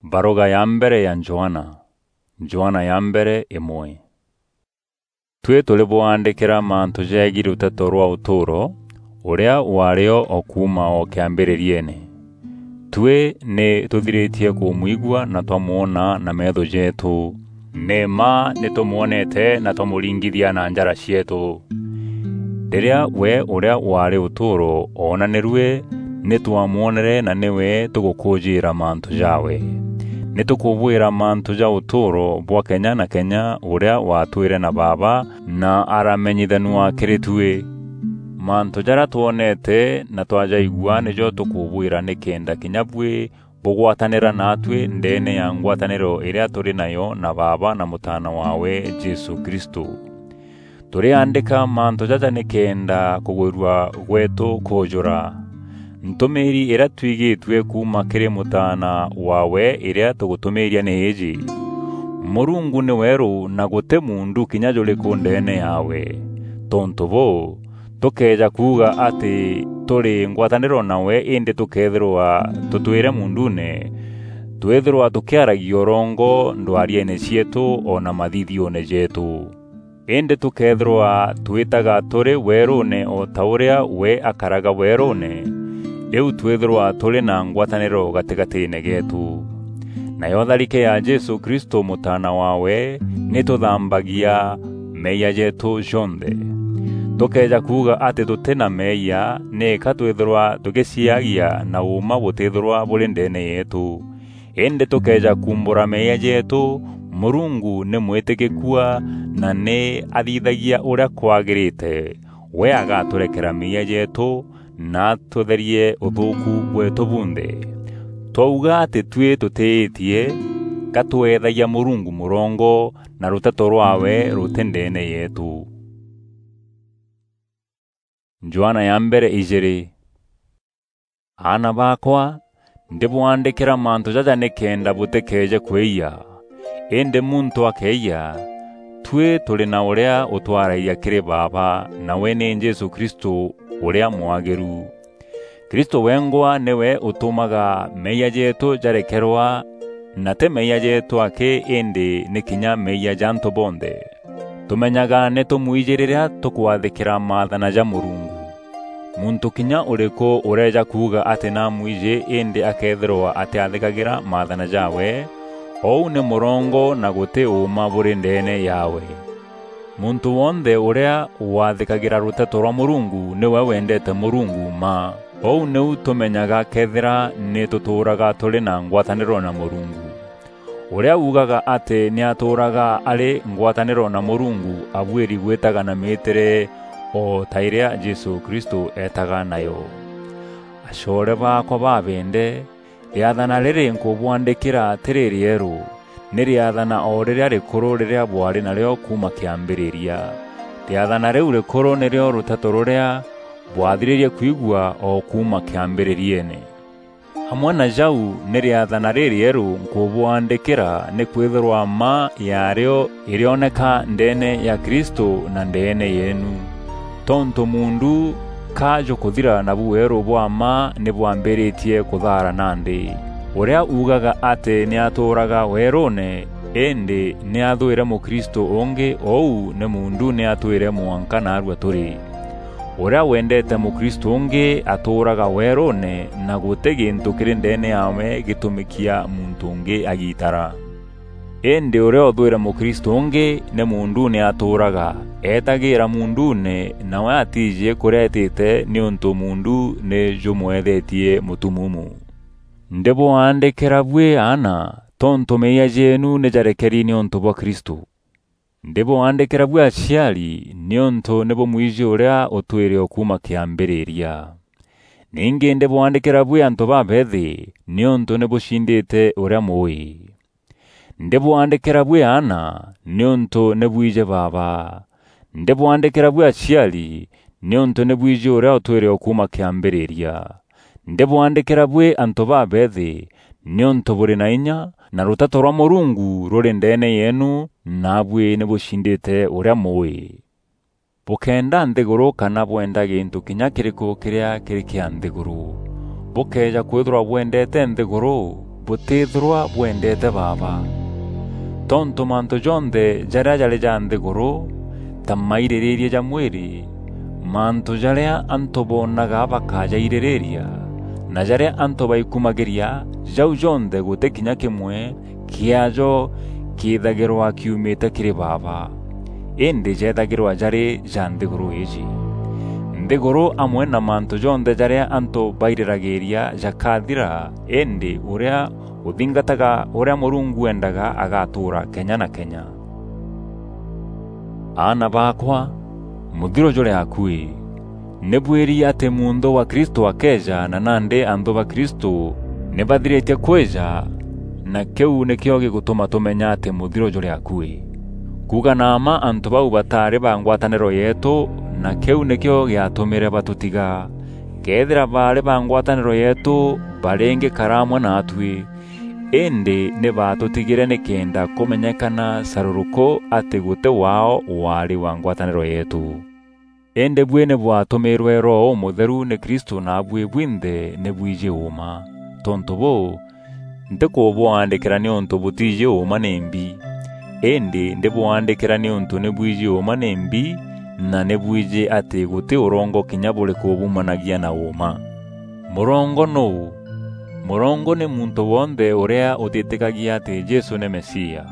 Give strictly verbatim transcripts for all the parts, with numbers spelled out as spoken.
Baruga ya mbere ya Johana. Johana ya mbere imwe. Tui turi bwaandikira mantu jeegii ruteto rwa utuuro, uria wario o kuuma o kiambiririene. Tui ni tuthiritie kumwigua na twamwona na meetho jeetu. Ni mma ni tumwonete na twamuringithia na njara cieetu. Riria we uria waari utuuro oonanirue, ni twamwonere na niwe tugukuujiira mantu jaawe. Ni tukubwira mantu ja utuuro bwa kenya na kenya uria waatwire na Baaba na aramenyithanua kiri tui. Mantu jaria twonete na twajaigua nijo tukubwira nikenda kinya bui bugwatanira naatui ndeene ya ngwataniro iria turi nayo na Baaba na Mutaana waawe, Jesu Kristu. Turiandika mantu jaja nikenda kugwirua gweetu kuujura. Ntumiiri iria twigitue kuuma kiri Mutaana waawe iria tugutumiiria ni iiji: Murungu ni weeru na guti muundu kinya juriku ndeene yaawe. Tontu buu, tukeeja kuuga ati turi ngwataniro nawe indi tukeethirwa tutwire muunduune, twithirwa tukiaragia urongo ndwariene cieetu o na mathithione jeetu. Indi tukeethirwa twitaga turi weeruune o ta uria we akaraga weeruune, riu twithirwa turi na ngwataniro gatigatiine geetu. Nayo tharike ya Jesu Kristu, Mutaana waawe, ni tuthambagia meeyia jeetu jonthe. Tukeeja kuuga ati tuti na meeyia, niika twithirwa tugiciagia na uuma butithirwa buri ndeene yeetu. Indi tukeeja kuumbura meeyia jeetu, Murungu ni mwitikikua na ni athithagia uria kwagirite. We agaturekera meeyia jeetu na atutherie uthuuku bweetu bunthe. Twauga ati tui tutiitie, ka tweethagia Murungu murongo, na ruteto rwaawe ruti ndeene yeetu. Johana ya mbere ijiri. Aana baakwa, ndibwaandikira mantu jaja nikenda butikeeje kwiyia. Indi muntu akeeyia, tui turi na uria utwaragia kiri Baaba, nawe ni Jesu Kristu uria mwagiru. Kristu wengwa niwe utumaga meeyia jeetu jarekerwa, na ti meeyia jeetu aki, indi ni kinya meeyia ja antu bonthe. Tumenyaga ni tumwiji riria tukwathikira maathana ja Murungu. Muntu kinya uriku ureeja kuuga ati namwiji indi akeethirwa atiathikagira maathana jaawe, uu ni murongo na guti uuma buri ndeene yaawe. Muntu wonthe uria wathikagira ruteto rwa Murungu niwe wendete Murungu mma. Uu niu tumenyaga kethira ni tutuuraga turi na ngwataniro na Murungu. Uria uugaga ati ni atuuraga ari ngwataniro na Murungu abuiri gwitaga na miitire o ta iria Jesu Kristu eetaga nayo. Acoore baakwa babende, riathana riri nkubwandikira ti ririeru, ni riathana o riria rikuru riria bwari nario kuuma kiambiriria. Riathana riu rikuru nirio ruteto ruria bwathiririe kwigua o kuuma kiambiririene. Amwe na jau, ni riathana ririeru nkubwandikira, nikwithirwa mma yaario irioneka ndeene ya Kristu na ndeene yeenu. Tontu muundu ka jukuthira, nabu weeru bwa mma ni bwambiritie kuthaara nandi. Uria uugaga ati ni atuuraga weeruune, indi ni athwire Mukristu ungi, uu ni muundu ni atwire mwanka naarua turi. Uria wendete Mukristu ungi atuuraga weeruune, na guti gintu kiri ndeene yaawe gitumikia muntu ungi agiitara. Indi uria uthwire Mukristu ungi ni muunduune atuuraga, eetagiira muunduune, nawe atiiji kuria eetite, niuntu muundu ni jumweethetie mutumumu. Ndibwaandikira bui aana, tontu meeyia jeenu ni jarekeri niuntu bwa Kristu. Ndibwaandikira bui aciari, niuntu ni bumwiji uria utwire o kuuma kiambiriria. Ningi ndibwaandikira bui antu babeethi, niuntu ni bucindite uria mui. Ndibwaandikira bui aana, niuntu ni bwiji Baaba. Ndibwaandikira bui aciari, niuntu ni bwiji uria utwire o kuuma kiambiriria. Ndibwaandikira bui antu babeethi, niuntu buri na inya, na ruteto rwa Murungu ruri ndeene yeenu, naabui ni bucindite uria mui. Bukenda nthiguru kana bwenda gintu kinya kiriku kiria kiri kia nthiguru. Bukeeja kwithirwa bwendete nthiguru, butithirwa bwendete Baaba. Tontu mantu jonthe jaria jari ja nthiguru, ta maiririria ja mwiri, mantu jaria antu boonaga bakajaiririria, na jaria antu baikumagiria, jau jonthe guti kinya kimwe kiajo kiithagirwa kiumite kiri Baaba, indi jeethagirwa jari ja nthiguru iiji. Nthiguru amwe na mantu jonthe jaria antu bairiragiria jakathira, indi uria uthingataga uria Murungu wendaga agatuura kenya na kenya. Aana baakwa, muthiro juri akui. Ni bwiri ati munthu wa Kristu akeeja, na nandi anthu ba Kristu ni bathiritie kwija, na kiu nikio gigutuma tumenya ati muthiro juri akui. Kuuga na mma, antu bau bataari ba ngwataniro yeetu, na kiu nikio giatumire batutiga. Keethira baari ba ngwataniro yeetu, baringikara amwe naatui, indi ni baatutigire nikenda kumenyekana caruruku ati guti waao waari wa ngwataniro yeetu. Indi buî nî bwatumiirwe Roho Ûmûtheru nî Kristû, naabuî bwinthe nî bwijî ûûma. Tontû bûû, ntîkûbwaandîkîra nîûntû bûtijî ûûma nîmbi, îndî ndîbwaandîkîra nîûntû nî bwijî ûûma nîmbi, na nî bwijî atî gûtî ûrongo kinya bûrîkû bumanagia na ûûma. Mûrongo nûû? Mûrongo nî muntû wonthe ûrîa ûtîtîkagia atî Jesû nî Mesia.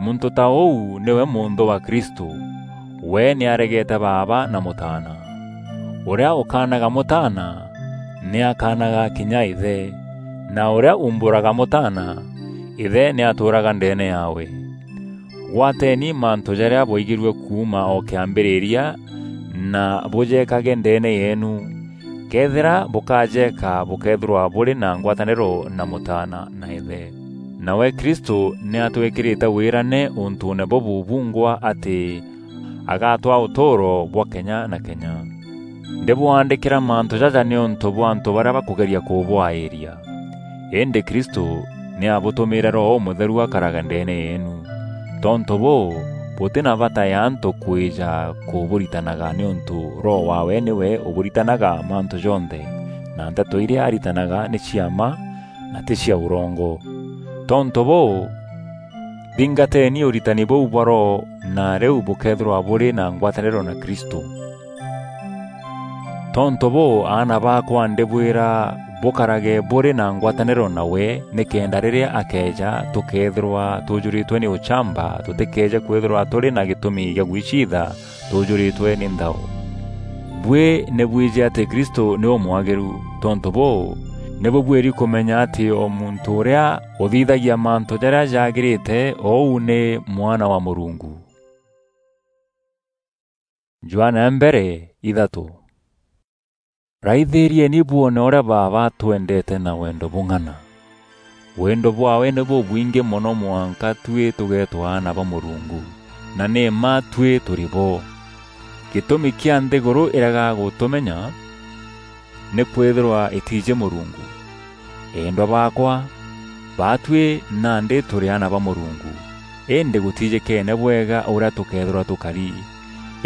Muntû ta ûu nîwe mûnthû wa Kristû. We nî aregete Baaba na Mûtaana. Ûrîa ûkaanaga Mûtaana, nî akaanaga kinya Îthe, na ûrîa uumbûraga Mûtaana, Îthe nî atûûraga ndeene yaawe. Gwateeni mantû jarîa bwaigîrue kuuma o kîambîrîria, na bûjeekage ndeene yeenu. Këethîra bûkajeeka, bûkeethîrwa bûrî na ngwatanîro na Mûtaana na Îthe. Nawe Kristû nî atwîkîrîte wîrane ûntûûne bûbû bungwa atî agatwaa ûtûûro bwa kenya na kenya. Ndîbwaandîkîra mantû jaja nîûntû bwa antû barîa bakûgeria kûbwaîria. Îndî Kristû nî abûtûmîîre Roho Ûmûtheru akarage ndeene yeenu. Tontû bûû, bûtî na bata ya antû kwîja kûbûritanaga, nîûntû Roho waawe nîwe ûbûritanaga mantû jonthe, na nteto irîa aritanaga nî cia mma na tî cia ûrongo. Tontû bûû, thingateeni ûritani bûu bwa Roho, na rîu bûkeethîrwa bûrî na ngwatanîro na Kristû. Tontû bûû, aana baakwa, ndîbwîra bûkarage bûrî na ngwatanîro nawe, nîkenda rîrîa akeeja, tûkeethîrwa tûûjûrîtwe nî ûchamba, tûtîkeeje kwîthîrwa tûrî na gîtûmi gîa gwiciitha tûûjûrîtwe nî nthao. Buî nî bwijî atî Kristû nî ûmwagîru. Tontû bûû, nî bûbuîri kûmenya atî o muntû ûrîa ûthithagia mantû jarîa jagîrîte, ûu nî mwana wa Mûrungu. Johana ya mbere, ithatû. Raithîrieni bwone ûrîa Baaba atwendete na wendo bûng'ana. Wendo bwaawe nî bûbwingî mono mwanka tuî tûgeetwa aana ba Mûrungu, na nî mma tuî tûrî bo. Gîtûmi kîa nthîgûrû îrega gûtûmenya nîkwîthîrwa îtiijî Mûrungu. Eendwa baakwa, baatuî nandî tûrî aana ba Mûrungu, îndî gûtiijîkeene bwega ûrîa tûkeethîrwa tûkari.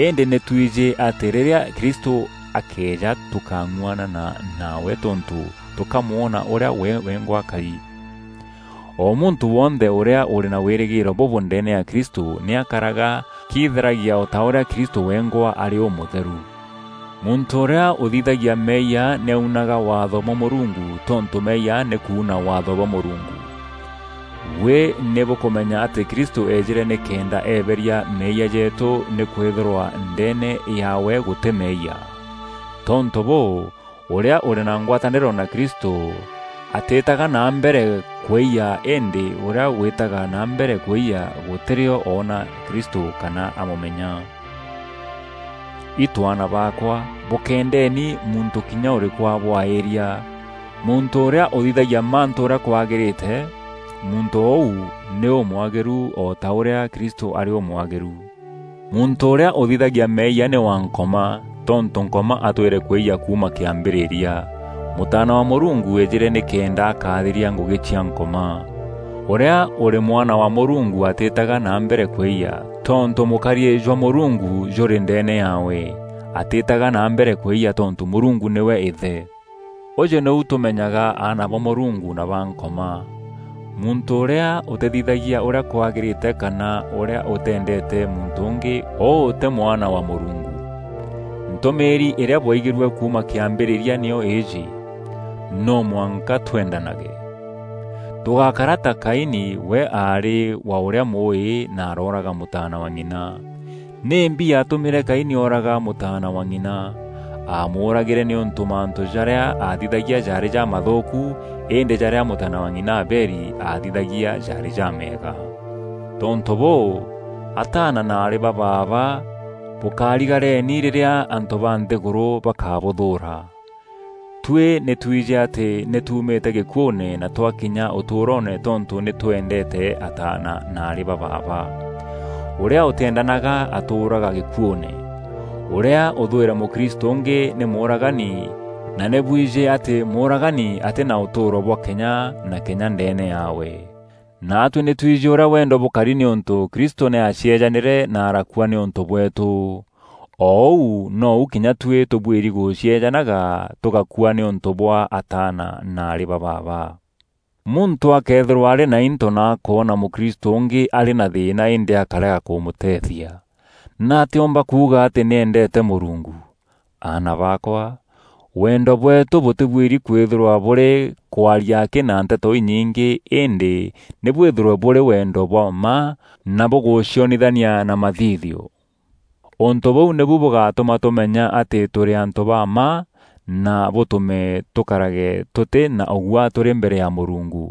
Îndî nî twijî atî rîrîa Kristû akeeja, tûkang'uanana nawe tontû tûkamwona ûrîa we wengwa akari. O muntû wonthe ûrîa ûrî na wîrîgîîro bûbû ndeene ya Kristû nî akaraga kiitheragia o ta ûrîa Kristû wengwa arî ûmûtheru. Muntû ûrîa ûthithagia meeyia nî aunaga waatho bwa Mûrungu, tontû meeyia nî kuuna waatho bwa Mûrungu. Buî nî bûkûmenya atî Kristû eejîre nîkenda eeberia meeyia jeetû, nîkwîthîrwa ndeene yaawe gûtî meeyia. Tontû bûû, ûrîa ûrî na ngwatanîro na Kristû atîtaga na mbere kwîyia, îndî ûrîa wîtaga na mbere kwîyia gûtîrîo oona Kristû kana amûmenya. Itwana baakwa, bûkendeeni muntû kinya ûrîkû abwaîria. Muntû ûrîa ûthithagia mantû ûrîa kwagîrîte, muntû ûu nî ûmwagîru o ta ûrîa Kristû arî ûmwagîru. Muntû ûrîa ûthithagia meeyia nî wa Nkoma, tontû Nkoma atwîre kwîyia kuuma kîambîrîria. Mûtaana wa Mûrungu eejîre nîkenda akaathiria ngûgî cia Nkoma. Ûrîa ûrî mwana wa Mûrungu atîtaga na mbere kwîyia, tontû mûkariî jwa Mûrungu jûrî ndeene yaawe. Atîtaga na mbere kwîyia tontû Mûrungu nîwe Îthe. Ûjû nîu tûmenyaga aana ba Mûrungu na ba Nkoma: muntû ûrîa ûtîthithagia ûrîa kwagîrîte kana ûrîa ûtendete muntû ûngî, ûû tî mwana wa Mûrungu. Ntûmîîri îrîa bwaigîrue kuuma kîambîrîria nîyo îîjî: no mwanka twendanage. Tûgakara ta Kaini, we aarî wa ûrîa mûûî na arooraga mûtaana wa ng'ina. Nîmbi yaatûmîre Kaini ooraga mûtaana wa ng'ina? Aamûûragîre nîûntû mantû jarîa aathithagia jaarî jamathûûku, îndî jarîa mûtaana wa ng'ina Abeli aathithagia jaarî jameega. Tontû bûû, ataana na aarî ba baaba, bûkarigareni rîrîa antû ba nthîgûrû bakabûthûûra. Tuî nî twîjî atî nî tuumîte gîkuûne na twakinya ûtûûroone tontû nî twendete ataana na aarî ba baaba. Ûrîa ûtîendanaga atûûraga gîkuûne. Ûrîa ûthwîre mûkristû ûngî nî mûûragani, na nî bwijî atî mûûragani atî na ûtûûro bwa kenya na kenya ndeene yaawe. Naatuî nî twîjî ûrîa wendo bûkari nîûntû Kristû nî aacieejanîre na arakua nîûntû bweetû. O ûu nou kinya tuî tûbuîri gûcieejanaga tûgakua nîûntû bwa ataana na aarî ba baaba. Muntû akeethîrwa arî na into na akoona mûkristû ûngî arî na thîîna îndî akarega kûmûteethia, nî atîûmba kuuga atî nî endeete Mûrungu? Aana baakwa, wendo bweetû bûtîbuîri kwîthîrwa bûrî kwaria akî na nteto inyingî, îndî nî bwîthîrwe bûrî wendo bwa mma na bûgûcionithania na mathithio. Ûntû bûu nîbu bûgatûma tûmenya atî tûrî antû ba mma na bûtûme tûkarage tûtî na ûguaa tûrî mbere ya Mûrungu.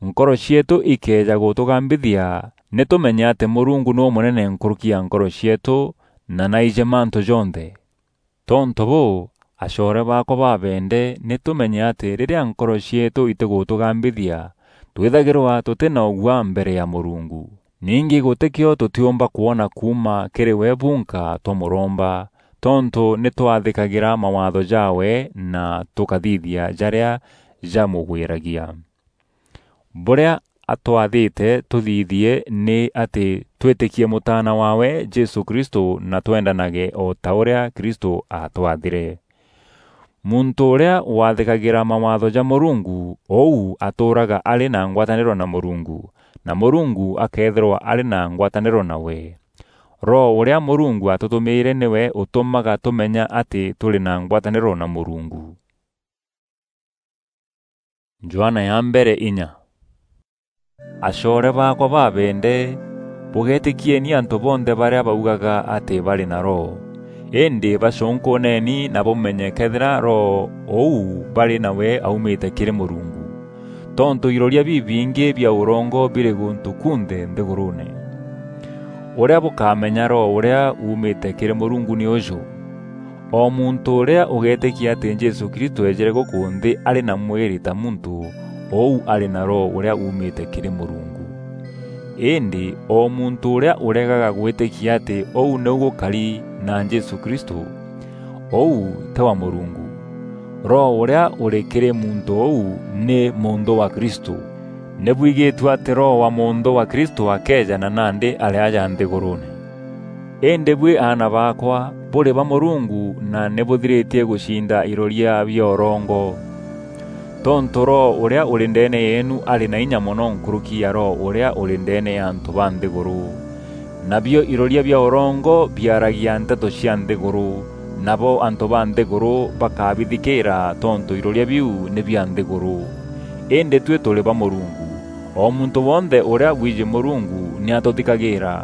Nkoro cieetû ikeeja gûtûgambithia, nî tûmenye atî Mûrungu nî ûmûnene nkûrûki ya nkoro cieetû na naijî mantû jonthe. Tontû bûû, acoore baakwa babende, nî tûmenye atî rîrîa nkoro cieetû itîgûtûgambithia, twîthagîrwa tûtî na ûguaa mbere ya Mûrungu. Ningî gûtîkîo tûtîûmba kwona kuuma kîrî we bunka twamûromba, tontû nî twathîkagîra mawaatho jaawe na tûkathithia jarîa jamûgwîragia. Bûrîa atwathîte tûthithie nî atî twîtîkie Mûtaana waawe Jesû Kristû na twendanage o ta ûrîa Kristû aatwathîre. Muntû ûrîa wathîkagîra mawaatho ja Mûrungu, ûu atûûraga arî na ngwatanîro na Mûrungu, na Mûrungu akeethîrwa arî na ngwatanîro nawe. Roho ûrîa Mûrungu atûtûmîîre nîwe ûtûmaga tûmenya atî tûrî na ngwatanîro na Mûrungu. Johana ya mbere inya. Acoore baakwa babende, bûgeetîkieni antû bonthe barîa baugaga atî barî na Roho, îndî bacûnkûûneni na bûmenye këethîra Roho ûu barî nawe aumîte kîrî Mûrungu, tontû iroria bibingî bia ûrongo birî gûntû kunthe nthîgûrûûne. Ûrîa bûkamenya Roho ûrîa uumîte kîrî Mûrungu nî ûjû: o muntû ûrîa ûgeetîkia atî Jesû Kristû eejîre gûkû nthî arî na mwîrî ta muntû, ûu arî na Roho ûrîa uumîte kîrî Mûrungu. Îndî o muntû ûrîa ûregaga gwîtîkia atî ûu nîu gûkari na Jesû Kristû, ûu tî wa Mûrungu. Roho ûrîa ûrî kîrî muntû ûu nî mûnthû wa Kristû. Nî bwigîtue atî Roho wa mûnthû wa Kristû akeeja na nandî arî aja nthîgûrûûne. Îndî buî aana baakwa, bûrî ba Mûrungu na nî bûthirîtie gûcinda iroria bia ûrongo. Tontû Roho ûrîa ûrî ndeene yeenu arî na inya mono nkûrûki ya Roho ûrîa ûrî ndeene ya antû ba nthîgûrû. Nabio iroria bia ûrongo biaragia nteto cia nthîgûrû, nabo antû ba nthîgûrû bakabithikîîra tontû iroria biu nî bia nthîgûrû. Îndî tuî tûrî ba Mûrungu. O muntû wonthe ûrîa wiijî Mûrungu nî atûthikagîîra.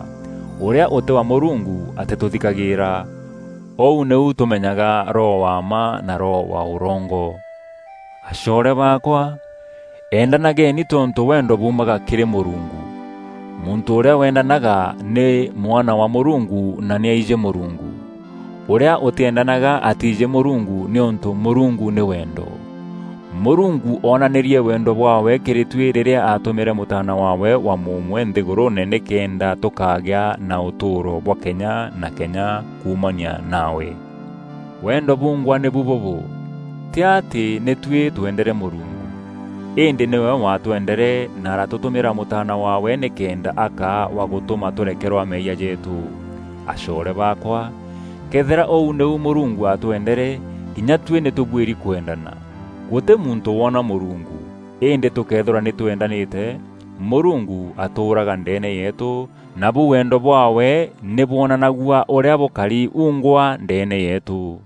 Ûrîa ûtî wa Mûrungu atîtûthikagîîra. Ûu nîu tûmenyaga Roho wa mma na roho wa ûrongo. Acoore baakwa, endanageni tontû wendo buumaga kîrî Mûrungu. Muntû ûrîa wendanaga nî mwana wa Mûrungu na nî aijî Mûrungu. Ûrîa ûtîendanaga atîîjî Mûrungu, nîûntû Mûrungu nî wendo. Mûrungu oonanîrie wendo bwaawe kîrî tuî rîrîa aatûmîre Mûtaana waawe wa mûûmwe nthîgûrûûne nîkenda tûkagîa na ûtûûro bwa kenya na kenya kuumania naawe. Wendo bungwa nîbu bûbû: tî atî nî tuî twendere Mûrungu, îndî nîwe waatwendere na aratûtûmîra Mûtaana waawe nîkenda akaa wa gûtûma tûrekerwa meeyia jeetû. Acoore baakwa, këethîra ûu nîu Mûrungu aatwendere, kinya tuî nî tûbuîri kwendana. Guti muntu woona Murungu, indi tukeethirwa ni twendanite, Murungu atuuraga ndeene yeetu, nabu wendo bwaawe ni bwonanagua uria bukari ungwa ndeene yeetu.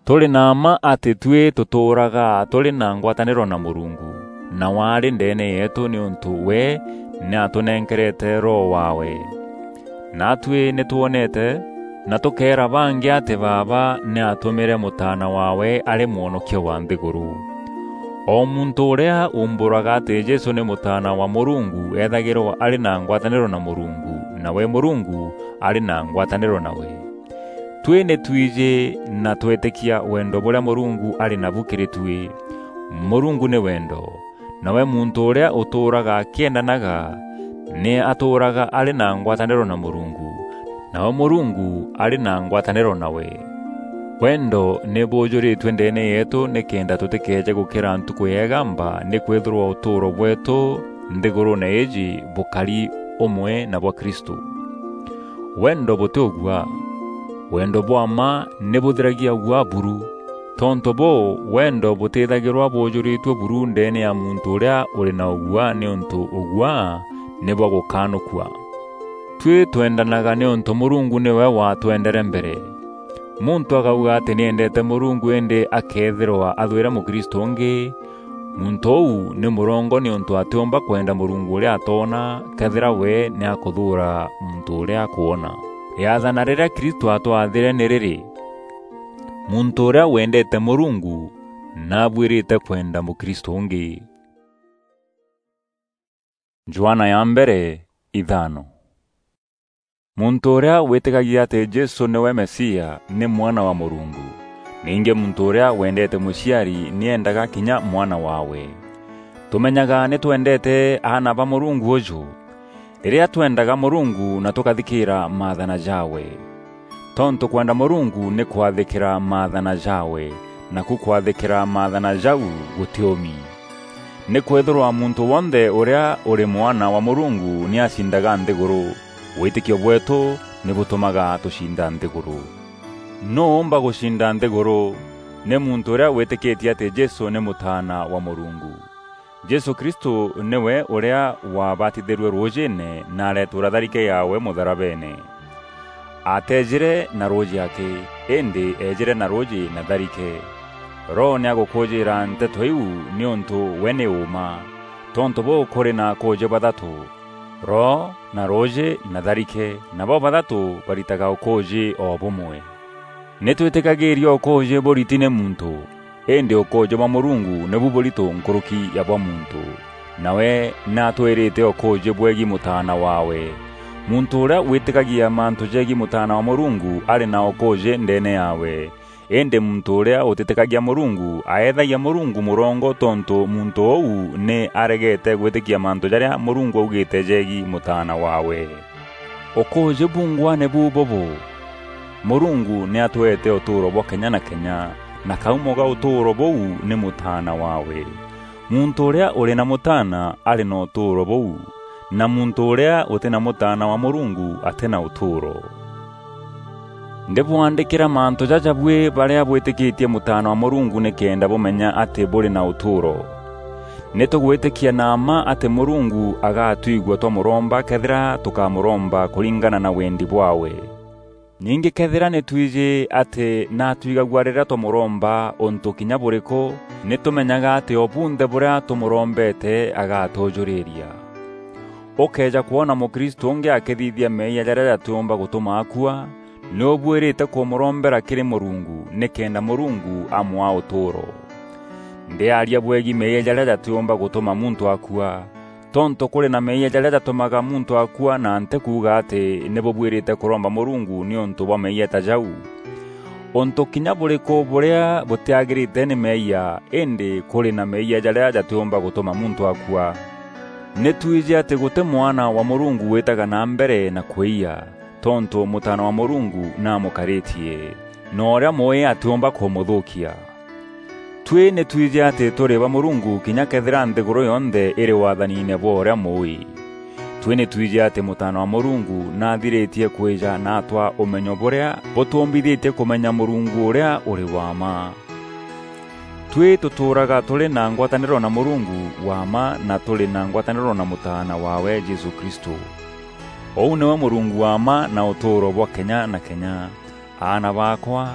Turi na mma ati tui tutuuraga turi na ngwataniro na Murungu, nawe ari ndeene yeetu niuntu we ni atunenkerete Roho waawe. Naatui ni twonete, na tukeera bangi ati Baaba ni atumire Mutaana waawe ari mwonokia wa nthiguru. O muntu uria uumburaga ati Jesu ni Mutaana wa Murungu eethagirwa ari na ngwataniro na Murungu, nawe Murungu ari na ngwataniro nawe. Tui ni twiji na twetikia wendo buria Murungu ari nabu kiri tui. Murungu ni wendo, nawe muntu uria utuuraga akiendanaga, ni atuuraga ari na ngwataniro na Murungu, nawe Murungu ari na ngwataniro nawe. Wendo ni buujuritue ndeene yeetu nikenda tutikeeje gukira ntuku ya igamba, nikwithirwa utuuro bweetu nthiguruune iiji bukari umwe na bwa Kristu. Wendo buti ugua. Wendo bwa mma ni buthiragia ugua buru. Tontu buu, wendo butithagirwa buujuritue buru ndeene ya muntu uria uri na ugua, niuntu ugua ni bwa gukaanukua. Tui twendanaga niuntu Murungu niwe watwendere mbere. Muntu akauga ati ni endeete Murungu indi akeethirwa athwire mukristu ungi, muntu uu ni murongo niuntu atiumba kwenda Murungu uria atoona, kethira we ni akuthuura muntu uria akwona. Riathana riria Kristu atwathire ni riri, muntu uria wendeete Murungu nabuirite kwenda mukristu ungi. Johana ya mbere, ithano. Muntu uria witikagia ati Jesu niwe Mesia ni mwana wa Murungu. Ningi muntu uria wendeete muciari ni endaga kinya mwana waawe. Tumenyaga ni twendeete aana ba Murungu uju, riria twendaga Murungu na tukathikiira maathana jaawe. Tontu kwenda Murungu ni kwathikira maathana jaawe, naku kwathikira maathana jau guti umi. Nikwithirwa muntu wonthe uria uri mwana wa Murungu ni acindaga nthiguru. Witikio bweetu ni butumaga tucinda nthiguru. Nuu uumba gucinda nthiguru? Ni muntu uria witikitie ati Jesu ni Mutaana wa Murungu. Jesu Kristu niwe uria waabatithirue ruujiine na aretuura tharike yaawe mutharabeene. Ateejire na ruuji aki, indi eejire na ruuji na tharike. Roho ni agukuujiira nteto iu niuntu we ni uuma. Tontu buu kuri na akuuji bathatu: Roho, na ruuji, na tharike, na bo bathatu baritaga ukuuji o bumwe. Ni twitikagiiria ukuuji buriti ni muntu, indi ukuuji bwa Murungu nibu buritu nkuruki ya bwa muntu. Nawe ni atwirite ukuuji bweegi Mutaana waawe. Muntu uria witikagia mantu jeegi Mutaana wa Murungu ari na ukuuji ndeene yaawe. Indi muntu uria utitikagia Murungu aeethagia Murungu murongo, tontu muntu uu ni aregete gwitikia mantu jaria Murungu augite jeegi Mutaana waawe. Ukuuji bungwa nibu bubu: Murungu ni atweete utuuro bwa kenya na kenya, na kaumo ga utuuro buu ni Mutaana waawe. Muntu uria uri na Mutaana ari na utuuro buu, na muntu uria uti na Mutaana wa Murungu ati na utuuro. Ndibwandikira mantu jaja bui baria bwitikitie Mutaana wa Murungu nikenda bumenya ati buri na utuuro. Ni tugwitikia na mma ati Murungu agatwigua twamuromba kethira tukamuromba kuringana na wendi bwawe. Ningi kethira ni twiji ati natwigagua riria twamuromba untu kinya buriku, ni tumenyaga ati o bunthe buria tumurombete agatujuriria. Ukeeja kwona mukristu ungi akithithia meeyia jaria jatiumba gutuma akua, ni ubuirite kumurombera kiri Murungu, nikenda Murungu amwaa utuuro. Ndiaria bweegi meeyia jaria jatiumba gutuma muntu akua, tontu kuri na meeyia jaria jatumaga muntu akua, na ntikuuga ati ni bubuirite kuromba Murungu niuntu bwa meeyia ta jau. Untu kinya buriku buria butiagirite ni meeyia, indi kuri na meeyia jaria jatiumba gutuma muntu akua. Ni twiji ati guti mwana wa Murungu witaga na mbere na kwiya, tontu Mutaana wa Murungu namukaritie, na uria mui atiumba kumuthukia. Tui ni twiji ati turi ba Murungu kinya kethira nthiguru yonthe iri wathaniine bwa uria mui. Tui ni twiji ati Mutaana wa Murungu nathiritie kwija na atwa umenyo buria butumbithitie kumenya Murungu uria uri wa mma. Tuî tûtûûraga tûrî na ngwatanîro na Mûrungu wa mma na tûrî na ngwatanîro na Mûtaana waawe Jesû Kristû. Ûu nîwe Mûrungu wa mma na ûtûûro bwa kenya na kenya. Aana baakwa,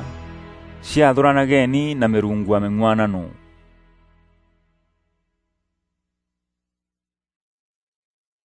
ciathûranageni na mîrungu ya mîng'uanano.